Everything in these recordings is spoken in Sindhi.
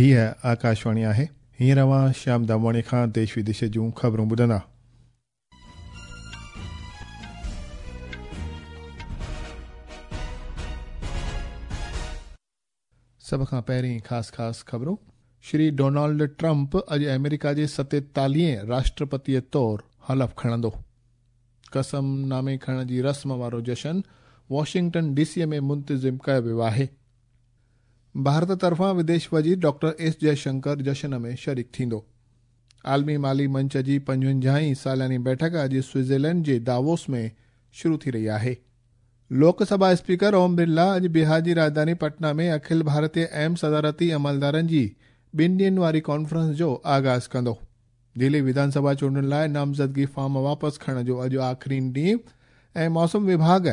هيء آڪاشواڻي آهي. هينئر اوهان شيام دامواڻي کان ديش وديش جون خبرون ٻڌندا. سڀ کان پهرين خاص خاص خبرون. شري ڊونالڊ ٽرمپ اڄ آمريڪا جي ستيتاليهين راشٽرپتيء طور حلف کڻندو. قسم نامي کڻڻ جي رسم وارو جشن واشنگٽن ڊي سيء ۾ منتظم ڪيو ويو آهي. ڀارت طرفان وديش وزير ڊاڪٽر ايس جئه شنڪر جشن ۾ شريڪ ٿيندو. عالمي مالي منچ جي پنجونجاهين سالياني بيٺڪ اڄ سوئٽزرلينڊ جي داووس ۾ شروع ٿي رهي آهي. لوڪ سڀا اسپيڪر اوم برلا اڄ بهار جي راڄڌاني پٽنا ۾ اکل ڀارتيه اهم صدارتي عملدارن جي ٻن ڏينهن واري ڪانفرنس جو آغاز ڪندو. دهلي وڌان سڀا چونڊن لاء نامزدگي فارم واپس کڻڻ جو اڄ آخرين ڏينهن ۽ موسم وڀاڳ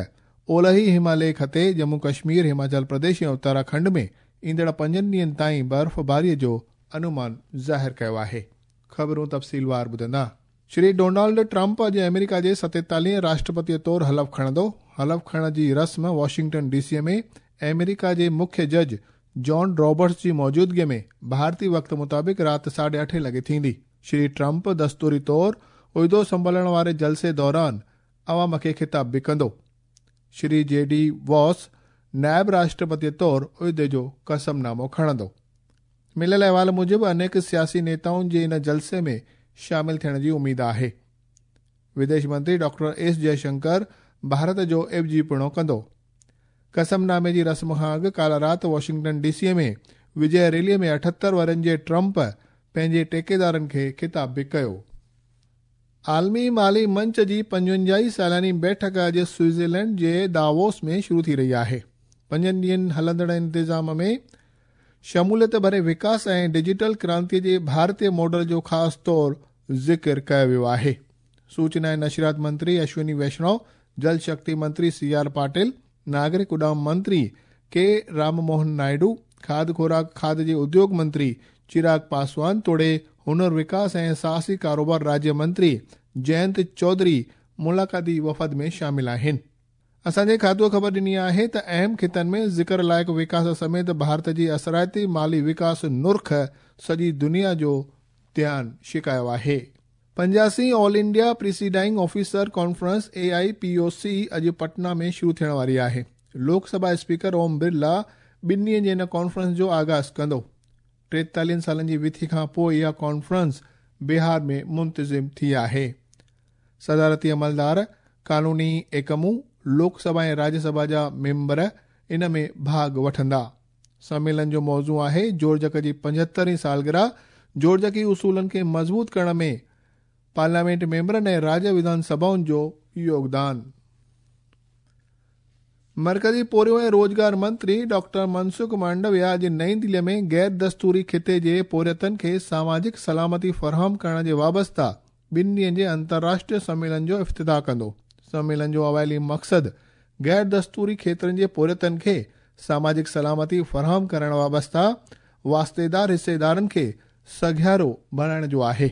اولهي هماليه خطي، ڄمون ڪشمير، هماچل پرديش ۽ اتراکنڊ ۾ ايندڙ پنجن ڏينهن تائين برفباري جو انومان ظاهر ڪيو آهي. خبرون تفصيلوار ٻڌندا. شري ڊونالڊ ٽرمپ اڄ آمريڪا جي ستيتاليهين راشٽرپتيء طور حلف کڻندو. حلف کڻڻ جي رسم واشنگٽن ڊي سيء ۾ آمريڪا جي مکيه جج جان رابرٽس جي موجودگيء ۾ ڀارتي وقت مطابق رات ساڍي اٺين لڳي ٿيندي. شري ٽرمپ دستوري طور عهدو سنڀالڻ واري جلسي دوران عوام کي خطاب به ڪندو. شري جي ڊي واس نائب راشٽرپتيء طور عهدي جو قسم نامو کڻندو. مليل احوال موجب انيڪ سياسي نيتائن جي ان جلسي ۾ شامل ٿيڻ جي اميد آهي. وديش منتري ڊاڪٽر ايس جئه شنڪر ڀارت جو عيوضيپڻو ڪندو. قسم نامي جي رسم کان اڳ ڪالهه رات واشنگٽن ڊي سيء ۾ وجئه ريليء ۾ 78 ورهين جي ٽرمپ پنهنجي ٽيڪيدارن کي خطاب به ڪيو. عالمي مالي منچ جي پنجونجاهين سالياني بيٺڪ اڄ سوئٽزرلينڊ جي داووس ۾ شروع ٿي رهي آهي. پنجن ڏينهن هلندڙ انتظام ۾ شموليت ڀري وڪاس ۽ ڊجيٽل ڪرانتي جي ڀارتي ماڊل جو خاص طور ذڪر ڪيو ويو آهي. سوچنا ۽ نشريات منتري اشوني ويشنو، جل شڪتي منتري سي آر پاٽل، ناگرڪ اڏام منتري ڪي رام موهن نائيڊو، کاڌ خوراڪ کاڌ جي اديوگ منتري چراغ پاسوان توڙي هنر وڪاس ۽ ساهسي ڪاروبار راجيه منتري جئنت چوڌري ملاقاتي وفد ۾ شامل آهن. اسان جي کاتوء خبر ڏني آهي ته اهم خطن ۾ ذڪر لائق وڪاس سميت ڀارت جي اثرائتي مالي وڪاس نرخ سڄي دنيا جو ڌيان ڇڪايو آهي. پنجاسين all India presiding officer conference, A I P O C, اڄ پٽنا ۾ شروع ٿيڻ واري آهي. لوڪ سڀا اسپيڪر اوم برلا ٻن ڏينهن جي ان ڪانفرنس جو آغاز ڪندو. ٽيتاليهن سالن جي وٿي کان پوء اها ڪانفرنس بهار ۾ منتظم ٿي آهي. صدارتي عملدار، قانوني ايڪمون، لوڪ سڀا ۽ راجيه سڀا جا ميمبر ان ۾ ڀاڳ وٺندا. سميلن جو موضوع آهي جوڙجڪ جي پنجهتر هين سالگرهه، جوڙجڪي اصولن کي مضبوط ڪرڻ ۾ پارليامينٽ ميمبرن ۽ راجيه وڌان سڀائن جو يوگدان. مرڪزي پورهيو ۽ روزگار منتري ڊاڪٽر منسک مانڊويا اڄ نئين دهلي ۾ غير دستوري خطي جي پورهيتن کي ساماجڪ سلامتي فراهم ڪرڻ جي وابسته ٻن ڏينهن جي انترراشٽريه سميلن جو افتتاح ڪندو. سميلن جو اوائلي مقصد غير دستوري کيترن جي پورهيتن کي ساماجڪ سلامتي فراهم ڪرڻ وابسته واسطيدار حصيدارن کي سگهارو بڻائڻ جو آهي.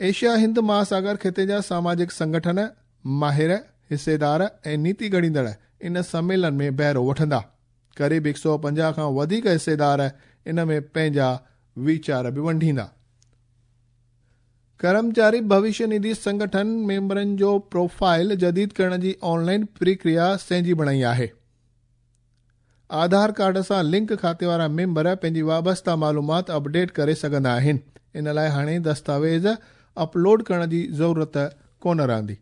ايشيا هند مهاساگر خطي جا ساماجڪ سنگٺن، ماهر، حصيدار ۽ نيتي گهڙيندڙ ان سميلن ۾ بهرو وٺندا. قريب 150 کان وڌيڪ حصيدار ان ۾ پنهنجا ويچار به ونڊيندا. ڪرمچاري ڀوشيه نڌي سنگٺن ميمبرن جو پروفائل جديد ڪرڻ جي آن لائن پرڪريا سهنجي بڻائي آهي. آڌار ڪارڊ سان لنڪ کاتي وارا ميمبر پنهنجي وابسته معلومات اپڊيٽ ڪري سگهندا آهن، ان لاء هاڻي دستاويز اپلوڊ ڪرڻ جي ضرورت ڪونه رهندي.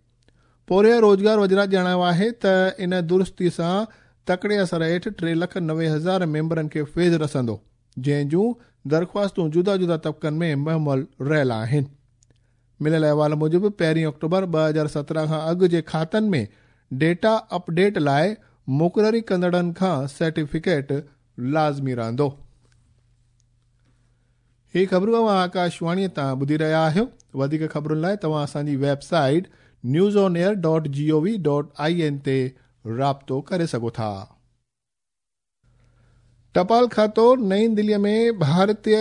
پورهيا روزگار وزارت ڄاڻايو آهي ته ان درستي سان تڪڙي اثر هيٺ 3,90,000 ميمبرن کي فيض رسندو، جنهن جون درخواستون جدا جدا طبقن ۾ مهمل رهيل آهن. مليل احوال موجب پهرين آڪٽوبر 2017 کان اڳ جي کاتن ۾ ڊيٽا اپڊيٽ لاء مقرري ڪندڙن کان سرٽيفڪيٽ لازمي رهندو. هي خبرون اوهان آڪاشواڻيء تان ٻڌي رهيا آهيو. وڌيڪ خبرن لاء توهان اسان جي website news on air dot G O V dot I N تي رابطو ڪري سگهو ٿا. ٽپال کاتو نئين دهليء ۾ ڀارتي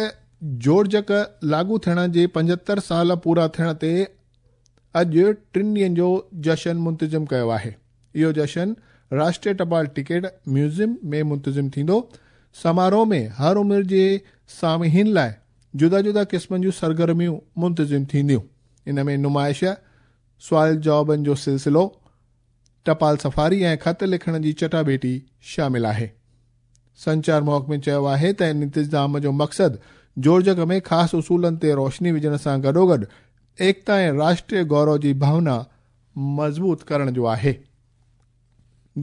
جوڙجڪ لاڳو ٿيڻ جي 75 سال پورا ٿيڻ تي اڄ ٽن ڏينهن جو جشن منتظم ڪيو آهي. اهو جشن راشٽريه ٽپال ٽڪيٽ ميوزيم ۾ منتظم ٿيندو. سماروهه ۾ هر عمر جي سامعين لاء جدا جدا قسمن جون سرگرميون منتظم ٿينديون. ان ۾ نمائش، سوال جوابن جو سلسلو، ٽپال سفاري ۽ خط لکڻ جي چٽاڀيٽي شامل آهي. سنچار محڪمي چيو آهي ته ان انتظام جو مقصد جوڙجڪ ۾ خاص اصولن تي روشني وجهڻ سان گڏوگڏ ايڪتا ۽ راشٽريه گورو جي ڀاونا مضبوط ڪرڻ جو آهي.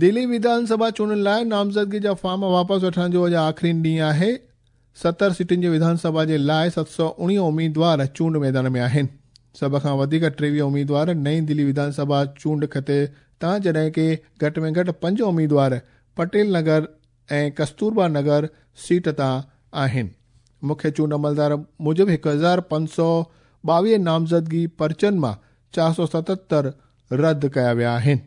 دهلي وڌان سڀا چونڊن لاء نامزدگي جا فارم واپس وٺڻ جو اڄ آخرين ڏينهن آهي. 70 سيٽن جي وڌان سڀا جي لاء 719 اميدوار چونڊ ميدان ۾ آهن. سڀ کان وڌيڪ 23 اميدوار نئين دلي وڌان سڀا چونڊ خطي تان جڏهن ڪي گهٽ ۾ گهٽ 5 اميدوار پٽيل نگر ۽ ڪستوربا نگر سيٽ تان آهن. مکيه چونڊ عملدار موجب 1522 نامزدگي پرچن مان 477 رد ڪيا ويا آهن.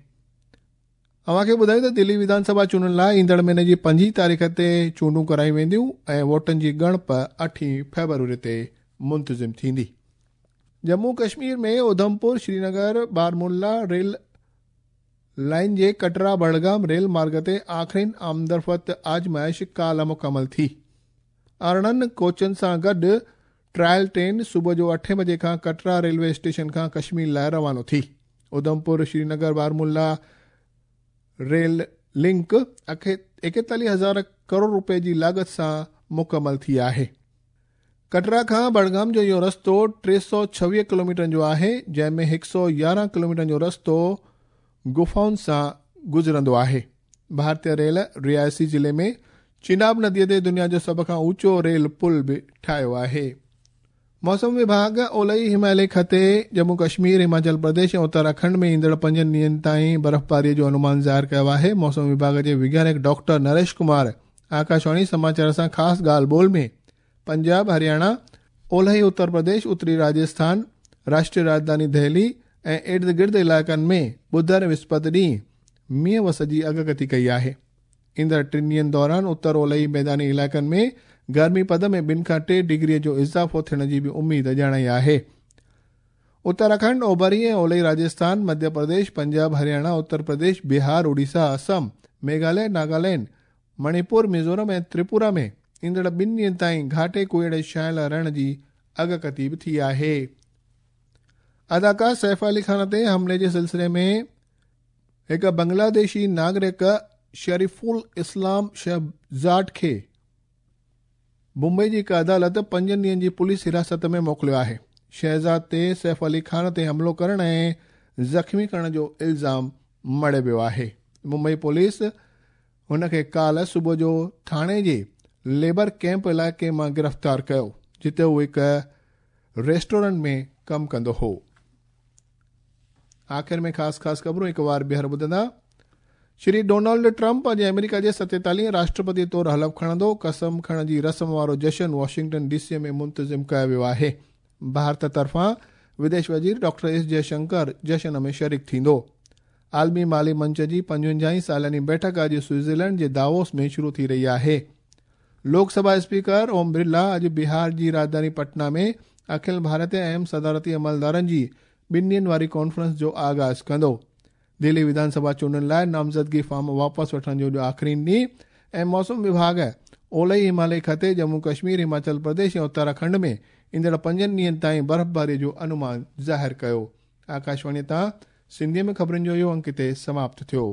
اوهان کي ٻڌايون ته دلي وڌان سڀا چونڊن لاء ايندڙ مهيني جي 5 تاريخ تي چونڊون ڪرايون وينديون ۽ ووٽن جي ڳڻپ 8 فيبروري تي منتظم ٿيندي. ڄمون ڪشمير ۾ اڌمپور شرينگر بارمولا ريل لائين جي ڪٽرا بڙگام ريل مارگ تي آخرين آمدرفت آزمائش ڪالهه مڪمل ٿي. 18 ڪوچن سان گڏ ٽرائل ٽرين صبح جو 8 بجي کان ڪٽرا ريلوي اسٽيشن کان ڪشمير لاء روانو ٿي. اڌمپور شرينگر بارمولا ريل لنڪ 41,000 ڪروڙ رپئي جي لاڳت سان مڪمل ٿي آهي. ڪٽرا کان بڙگام جو اهو رستو 326 ڪلوميٽرن جو آهي، جنهن ۾ 111 ڪلوميٽرن جو رستو غفائن سان گذرندو آهي. ڀارتيه ريل رياسي ضلعي ۾ چناب نديء تي دنيا جو سڀ کان اوچو ريل پل به ٺاهيو آهي. موسم وڀاڳ اولهي هماليه خطي، ڄمون ڪشمير، هماچل پرديش ۽ اتراکنڊ ۾ ايندڙ 5 ڏينهن تائين برفباريء جو انومان ظاهر ڪيو آهي. موسم وڀاڳ جي وگيانڪ ڊاڪٽر نريش ڪمار آڪاشواڻي سماچار سان خاص ڳالهه ٻولهه ۾ پنجاب، هرياڻا، اولهي اتر پرديش، اتري راجسٿان، راشٽريه راڄڌاني دهلي ۽ ارد گرد علائقن ۾ ٻڌر ۽ وسپت ڏينهن مينهن وس جي اڳڪٿي ڪئي آهي. ايندڙ 3 ڏينهن دوران اتر اولهي ميداني علائقن ۾ گرمي پد ۾ 2 کان 3 ڊگري جو اضافو ٿيڻ جي به اميد ڄاڻائي آهي. اتراکنڊ، اوڀري ۽ اولهي راجسٿان، مڌيه پرديش، پنجاب، هرياڻا، اتر پرديش، بهار، اڙيسا، اسم، ميگهاليه، ناگالينڊ، مڻيپور، ميزورم ۽ تريپورا ۾ ايندڙ 2 ڏينهن تائين گهاٽي ڪوهيڙي ڇانيل رهڻ جي اڳڪٿي به ٿي آهي. اداڪار سيف علي خان تي حملي جي سلسلي ۾ هڪ بنگلاديشي ناگرڪ شريف الاسلام شهزاد کي ممبئي جي هڪ عدالت 5 ڏينهن جي پوليس حراست ۾ موڪليو آهي. شهزاد تي سيف علي خان تي حملو ڪرڻ ۽ زخمي ڪرڻ جو الزام مڙهيو ويو آهي. ممبئي پوليس هن کي ڪالهه صبح جو ٿاڻي جي ليبر ڪيمپ علائقي مان گرفتار ڪيو، جتي هو هڪ ريسٽورنٽ ۾ ڪم ڪندو هو. آخر ۾ خاص خاص خبرون هڪ وار ٻيهر ٻڌندا. شري ڊونلڊ ٽرمپ اڄ آمريڪا جي 47 راشٽرپتي طور حلف کڻندو. قسم کڻڻ جي رسم وارو جشن واشنگٽن ڊي سي ۾ منتظم ڪيو ويو آهي. ڀارت طرفان وديش وزير ڊاڪٽر ايس جئه شنڪر جشن ۾ شريڪ ٿيندو. عالمي مالي منچ جي 55 سالياني بيٺڪ اڄ سوئٽزرلينڊ جي داووس ۾ شروع ٿي رهي آهي. لوڪ سڀا اسپيڪر اوم برلا اڄ بهار جي راڄڌاني پٽنا ۾ اکل ڀارتيه اهم صدارتي عملدارن جي 2 ڏينهن واري ڪانفرنس جو آغاز ڪندو. دهلي وڌان سڀا چونڊن لاء نامزدگي فارم واپس وٺڻ جو اڄ آخرين ڏينهن ۽ موسم وڀاڳ اولهي هماليه خطي، ڄمون ڪشمير، هماچل پرديش ۽ اتراکنڊ ۾ ايندڙ 5 ڏينهن تائين برفباري جو انومان ظاهر ڪيو. آڪاشواڻي تان سنڌيء ۾ خبرن جو اهو انڪ هتي سماپت ٿيو.